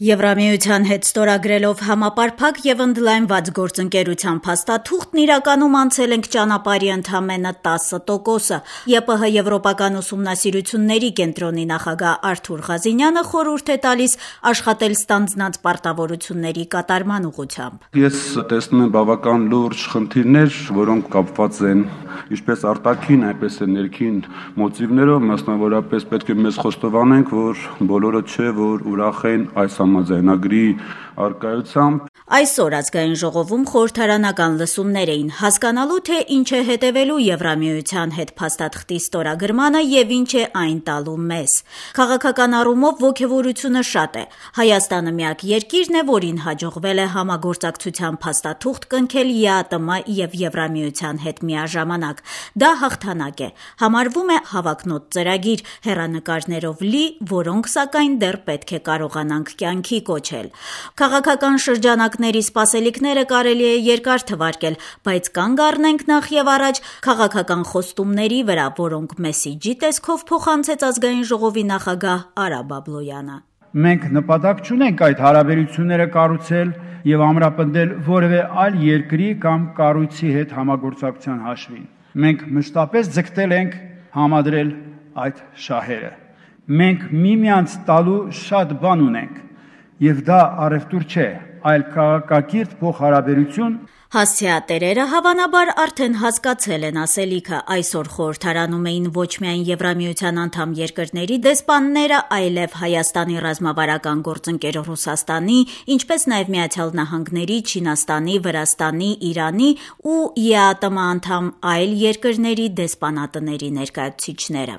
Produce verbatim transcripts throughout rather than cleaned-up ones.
Եվրամիության հետ ստորագրելով համապարփակ եւ ընդլայնված գործընկերության փաստաթուղթն իրականում անցել ենք ճանապարհի ընդամենը տասը տոկոսը։ ԵՊՀ Եվրոպական ուսումնասիրությունների կենտրոնի նախագահ Արթուր Ղազինյանը խորհուրդ է տալիս աշխատել ստանձնած պարտավորությունների կատարման ուղղությամբ։ Ես տեսնում եմ բավական լուրջ խնդիրներ, որոնք կապված են ինչպես արտաքին, այնպես էլ ներքին մոտիվներով, մասնավորապես պետք է մեզ խոստովանենք, որ բոլորը չէ, որ ուրախ են այս համաձայնագրի առկայությամբ։ Այսօր ազգային ժողովում խորհրդարանական լսումներ էին հասկանալու, թե ինչ է հետևելու Եվրամիության հետ փաստաթղթի ստորագրմանը եւ ինչ է այն տալու մեզ։ Քաղաքական առումով ոգևորությունը շատ է։ Հայաստանը միակ երկիրն է, որին հաջողվել է համագործակցության փաստաթուղթ կնքել ԵԱՏՄ եւ Եվրամիության հետ միաժամանակ։ Դա հաղթանակ է։ Համարվում է հավակնոտ ծրագիր, հեռանկարներով լի, որոնք սակայն դեռ պետք է կարողանանք կյանքի կոչել։ Քաղաքական շրջանակների սպասելիքները կարելի է երկար թվարկել, բայց կանգ առնենք նախ եւ առաջ քաղաքական խոստումների վրա, որոնք մեսիջի տեսքով փոխանցեց ազգային ժողովի նախագահ Արա Բաբլոյանը։ Մենք նպատակ չունենք այդ հարաբերությունները կառուցել եւ ամրապնդել որևէ այլ երկրի կամ կառույցի հետ համագործակցության հաշվին։ Մենք մշտապես ձգտել ենք համադրել այդ շահերը։ Մենք միմյանց տալու շատ բան ունենք, եւ դա առևտուր չէ, այլ քաղաքակիրթ փոխհարաբերություն։ Հասցեատերերը հավանաբար արդեն հասկացել են ասելիքը։ Այսօր խորհրդարանում էին ոչ միայն Եվրամիության անդամ երկրների դեսպանները, այլև Հայաստանի ռազմավարական գործընկեր Ռուսաստանի, ինչպես նաև Միացյալ Նահանգների, Չինաստանի, Վրաստանի, Իրանի ու ԵԱՏՄ անդամ այլ երկրների դեսպանատների ներկայացուցիչները։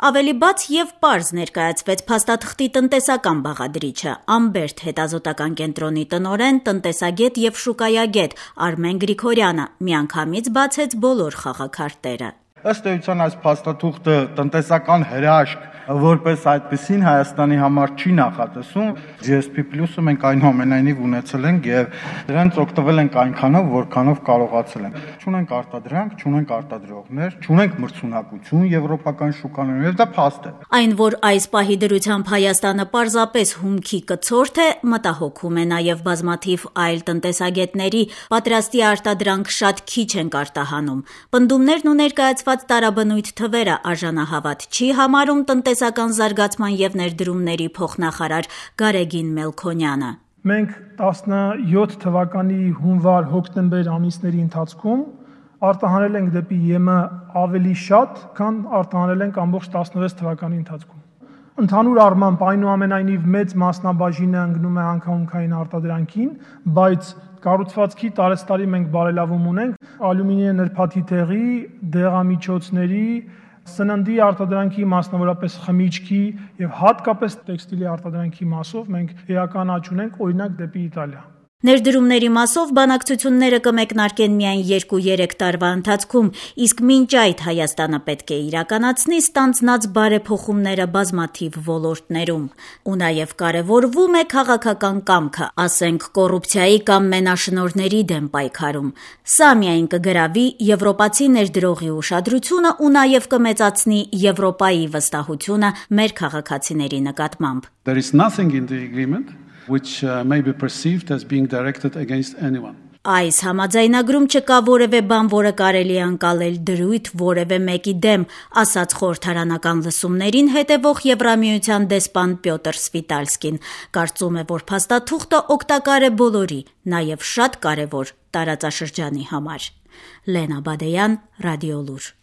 Ավելի բաց եւ պարզ ներկայացվեց փաստաթղթի տնտեսական բաղադրիչը։ Ամբերտ հետազոտական կենտրոնի տնօրեն, տնտեսագետ եւ շուկայագետ Արմեն Գրիգորյանը միանգամից բացեց բոլոր խաղաքարտերը։ Ըստ էության այս փաստաթուղթը տնտեսական հրաշք որպես այդպեսին Հայաստանի համար չի նախատեսում։ Ջի Էս Պի պլյուսը մենք այնուամենայնիվ ունեցել ենք եւ դրանից օգտվել ենք այնքանով, որքանով կարողացել ենք։ Չունենք արտադրանք, չունենք արտադրողներ, չունենք մրցունակություն եվրոպական շուկաներում եւ դա փաստ է։ Այն, որ այս պահի դրությամբ Հայաստանը պարզապես հումքի կցորդ է, մտահոգում է նաեւ բազմաթիվ այլ տնտեսագետների, պատրաստի արտադրանք շատ քիչ են արտահանում։ Պնդումներն ու ներկայացված տարաբնույթ թվերը արժանահավատ չի համարում տնտեսական զարգացման եւ ներդրումների փոխնախարար Գարեգին Մելքոնյանը։ Մենք տասնյոթ թվականի հունվար-հոկտեմբեր ամիսների ընթացքում արտահանել ենք դեպի ԵՄ ավելի շատ, քան արտահանել ենք ամբողջ տասնվեց թվականի ընթացքում։ Ընդհանուր առմամբ այնուամենայնիվ մեծ մասնաբաժինը ընկնում է անկախունքային արտադրանքին, բայց կառուցվածքի տարեստարի մենք բարելավում ունենք ալյումինիե նրբաթի տեղի, դեղամիջոցների, սննդի արտադրանքի, մասնավորապես խմիչքի եւ հատկապես տեքստիլի արտադրանքի մասով մենք էական աճ ունենք, օրինակ դեպի Իտալիա։ Ներդրումների մասով բանակցությունները կմեկնարկեն միայն երկու-երեք տարվա ընթացքում, իսկ մինչ այդ Հայաստանը պետք է իրականացնի ստանձնած բարեփոխումները բազմաթիվ ոլորտներում։ Ու նաև կարևորվում է քաղաքական կամքը, ասենք կոռուպցիայի կամ մենաշնորհների դեմ պայքարում։ Սա միայն կգրավի եվրոպացի ներդրողի ուշադրությունը ու նաև կմեծացնի Եվրոպայի վստահությունը մեր քաղաքացիների նկատմամբ։ There is nothing in the agreement which uh, may be perceived as being directed against anyone. Այս համաձայնագրում չկա որևէ բան, որը կարելի է անցալել դրույթ որևէ մեկի դեմ, ասաց խորհրդարանական լսումներին հետևող Եվրամիության դեսպան Պյոտր Սվիտալսկին։ Կարծում է, որ փաստաթուղթը օգտակար է բոլորի, նաև շատ կարևոր տարածաշրջանի համար։ Լենա Բադեյան, Ռադիոլուր։